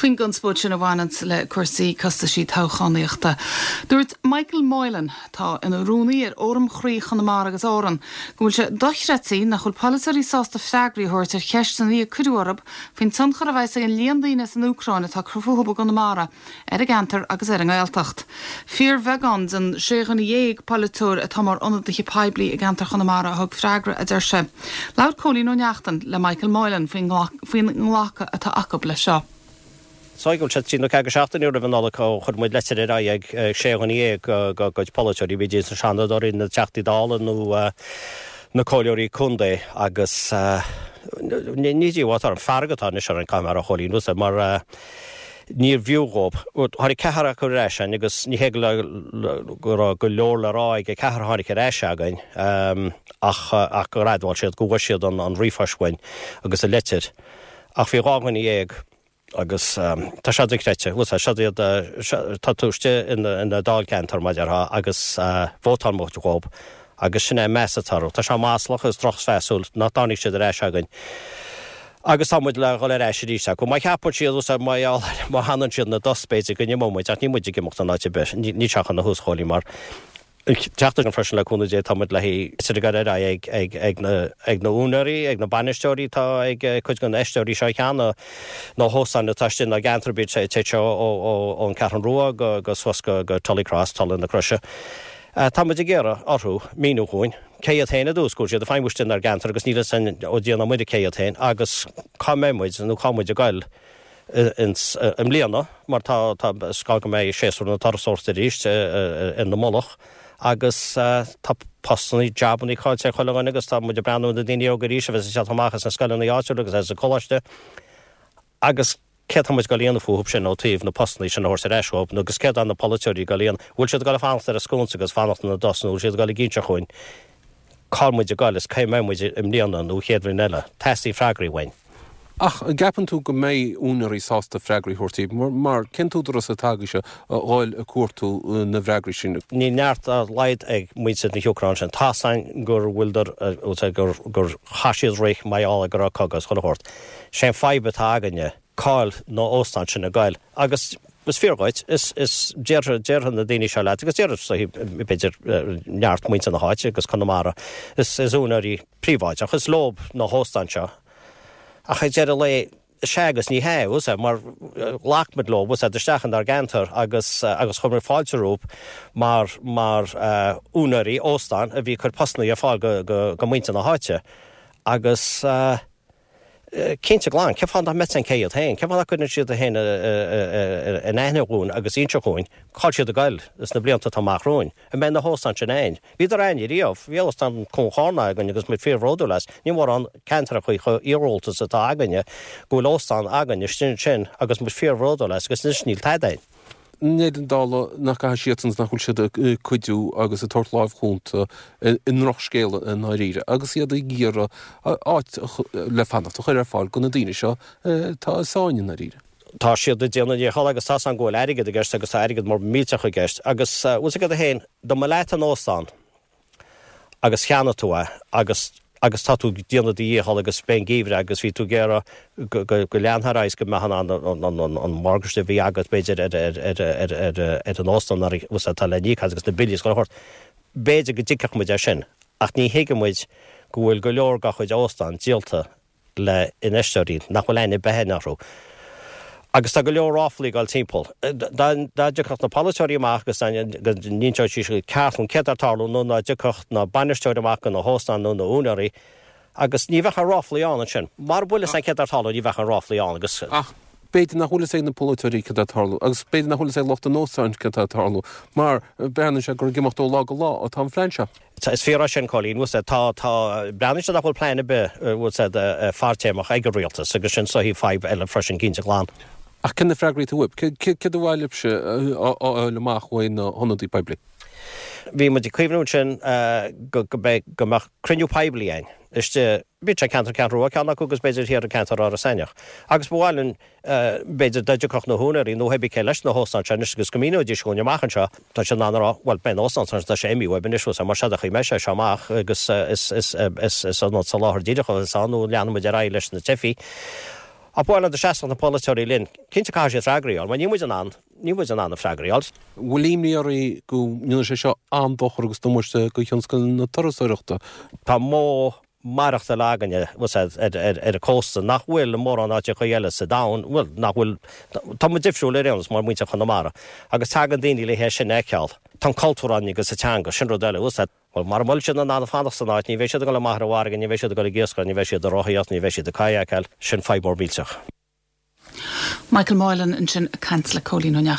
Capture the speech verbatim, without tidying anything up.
Faoin gconspóid sin a bhaineann le cúrsaí costaisí toghchánaíochta. Dúirt Michael Moylan tá ina rúnaí ar Fhóram Chroí Chonamara agus Árann, go bhfuil sé dochreidte nach bhfuil polaiteoirí sásta freagraí a thabhairt ar cheisteanna a cuireadh orthu faoin tionchar a bheas ag an líon daoine san Úcráin atá ag cur fúthu i gConamara ar an gceantar agus ar an nGaeltacht. Fíorbheagán den sé dhuine dhéag polaiteoir atá mar ionadaithe poiblí i gceantar Chonamara a thug freagra a deir sé. Labhair Cóilín Ó Neachtain le Michael Moylan faoin nglacadh atá acu le seo. So go sé trí nó ceathair seachtaine roimh an Nollaig ó chuir muid leitir ar aghaidh ag sé dhuine dhéag dá gcuid polaiteoirí bhí na Seanadóirí na Teachtaí Dála nó na comhairleoirí contae agus ní díobháil an fearg atá anois ar an camera a Chóilín mar níor bhfiú dhóibh. Tháinig ceathrar acu ar ais againn agus ní hé go raibh go leor le rá ag an ceathrar a tháinig ar ais againn ach ach gur admháil siad go bhfuair siad an an ríomhphost uainn agus an leitir. Ach bhí dhá dhuine dhéag agus tá sé dochreidte seo iad tá tú istigh ina dáilcheantar mar atá agus vótáil muid dhóibh agus sin é meas atá orthu. Tá sé maslach is drochmheasúil nach dtáinig siad ar ais againn. Agus tá muid le dhul ar ais arís acu. Má cheapann siad má má fhanann siad ina dtost b'fhéidir go n-imeoidh muid ach ní muid ag imeacht an áit ar bith ní teach na húschóilí mar teachta an freisin le cúnamh Dé tá muid le haghaidh ar ag ag ag na ag na húinéirí ag na bainisteoirí tá ag cuid den infheisteoirí seo cheana na hóstáin atá istigh na gceantar bíd sé seo ón Cheathrú Rua go go suas go go Tullycross Tulaigh na Croise. Tá muid ag iarraidh orthu míniú dhúinn cé iad féin i dtús go siad ag feidhmiú istigh inár gceantar agus níl a fhios againn ó Dhia ná Muire cé iad féin agus cá mbeidh muid nó cá muid ag goil i mbliana mar tá tá gá go mbeidh séasúr na turasóireachta arís ina mullach agus tá postanna jabanna caillte ag chuile dhuine agus tá muid ag breathnú na daoine óga arís a bheith ag amach as na scoileanna áitiúla agus as an coláiste agus cé tá muid ag goil a dhéanamh fúthu sin ó taobh na postanna sin a thabhairt ar ais dhóibh nó agus céard tá na polaiteoirí ag goil a dhéanamh bhfuil siad ag goil a fanacht ar a sconsa agus fanacht ina dtost nó bhfuil siad ag goil ag inse dhúinn cá muid ag goil is cé mbeidh muid i mbliana nó chéad bhliain eile teastaíonn freagraí uainn. Ach an gceapann tú go mbeidh úinéirí sásta freagraí a thabhairt daoibh, mar cén t-údarás atá agaibhse a dhul ag cuartú na bhfreagraí sin? Níl neart dá laghad ag muintir na hÚcráine sin. Tá a fhios againn gur bhfuildir gur gur chaith siad rith mar gheall go raibh cogadh is chuile shórt. Sé an fadhb atá againne cá bhfuil na hóstáin sin ag goil agus is fíor dhuit is is déarfaidh déarfaidh na daoine seo leat agus déarfaidh b'fhéidir neart muintir na háite agus Conamara is is úinéirí príobháideach is leo na hóstáin seo. Ach ag deireadh lae sé agus ní hé mar ghlac muid leo isteach inár gceantar agus agus chuir muid fáilte rompu mar mar uh, úinéirí óstán a bhí ag cur postanna ar fáil go, go, go muintir na háite agus uh, cinnte glan, cé fáth nach mbeadh cé iad féin, Cé fáth nach gcuireann siad féin in aithne dhúinn agus inse dhúinn cá bhfuil siad ag goil sna blianta atá amach romhainn. An mbeidh na hóstáin sin ann. Bhíodar ann riamh, bhí óstán Cuan Chárna againn agus muid fíorbhródúil as, ní mórán ceantracha chomh iargúlta atá againne go bhfuil óstán againn sin sin agus muid fíorbhródúil as agus anois níl tada ann. Ní an dála nach gcaithfidh siad nach bhfuil siad ag cuidiú agus ag tabhairt lámh chúnta i ndrochscéal i ndáiríre, agus iad ag iarraidh áit le fanacht a chur ar fáil do na daoine seo tá i sáinn i ndáiríre. Tá siad ag déanamh a ndícheall agus tá an go bhfuil airgead i gceist agus tá airgead mór millteach i gceist agus bhfuil a fhios agat féin dá mba leat an óstán agus cheannaigh tú é agus agus tá tú ag déanamh do dhícheall agus b'é an geimhreadh agus bhí tú ag iarraidh go go leanfá ar aghaidh go mbeadh an an an an mortgage a bhí agat b'fhéidir ar ar ar ar ar ar an óstán atá le n-íoc agus na billí go hort. B'fhéidir go dtuigfeadh muid é sin, ach ní thuigeann muid go bhfuil go leor dá chuid óstán díolta le infheisteoirí nach bhfuil aithne ar bith orthu. Agus tá go leor ráflaí ag dul timpeall. Dá dtiocfadh na polaiteoirí amach agus go n-inseodh siad ceart céard atá ag tarlú nó dá dtiocfadh na bainisteoirí amach go na hóstáin nó na húinéirí agus ní bheadh an ráflaí ann ansin. Mar bhfuil san céard atá ag tarlú ní bheadh an ráflaí ann agus Ach b'fhéidir nach bhfuil a fhios ag na polaiteoirí céard atá ag tarlú, agus b'fhéidir nach bhfuil a fhios ag lucht an óstáin céard atá ag tarlú, mar breathnaíonn sé gur ag imeacht ó lá go lá atá an phlean seo. Is fíor é sin Cóilín tá tá breathnaíonn sé nach bhfuil plean ar bith bhfuil fadtéarmach ag an rialtas agus sin sórt fadhb eile freisin cinnte glan. Ach cén na freagraí atá uaibh, céard ba mhaith libhse a fháil amach ó na hionadaí poiblí? Bhí muid ag cuimhniú sin go go mbeadh cruinniú poiblí ann. Istigh bhí sé ceantar Ceathrú Rua ceann acu agus b'fhéidir thiar an ceantar Áras Eithneach. Agus ba mhaith linn b'fhéidir dá dtiocfadh na húinéirí nó pé cé leis na hóstáin seo anois agus go míneoidís dhúinn amach anseo tá sé in ann a rá well beidh an óstán tá sé imithe uaibh anois mar seo a chuir mé sé seo amach agus is is is is an soláthar díreach is ann nó leanfaidh muid ar aghaidh leis na teifigh. Ach bhuel, dá seasfadh na polaiteoirí linn, cinnte caithfidh siad freagraí a fháil, mar níl muid in ann, níl muid in ann na freagraí a fháil. Bhfuil imní oraibh go ndéanfaidh sé seo an-dochar agus damáiste do thionscal na turasóireachta? Tá modh maireachtála againne, bhfuil a fhios a'd, ar ar an cósta nach bhfuil i mórán áiteacha eile sa domhan, bhuel, nach bhfuil, tá muid difriúil ar aon nós mar muintir Chonamara agus tagann daoine le hé sin a fheiceáil. Tá an cultúr againn agus an teanga, sin rud eile, bhfuil a fhios a'd. Bhuel, mara bhfuil siad in ann fanacht san áit, ní bheidh siad ag dul amach ar an bhfarraige, ní bheidh siad ag dul ag iascaireacht, ní bheidh siad ag rothaíocht, ní bheidh siad ag kayakáil. Sin fadhb mór millteach. Michael Moylan ansin ag caint le Cóilín Ó Neachtain.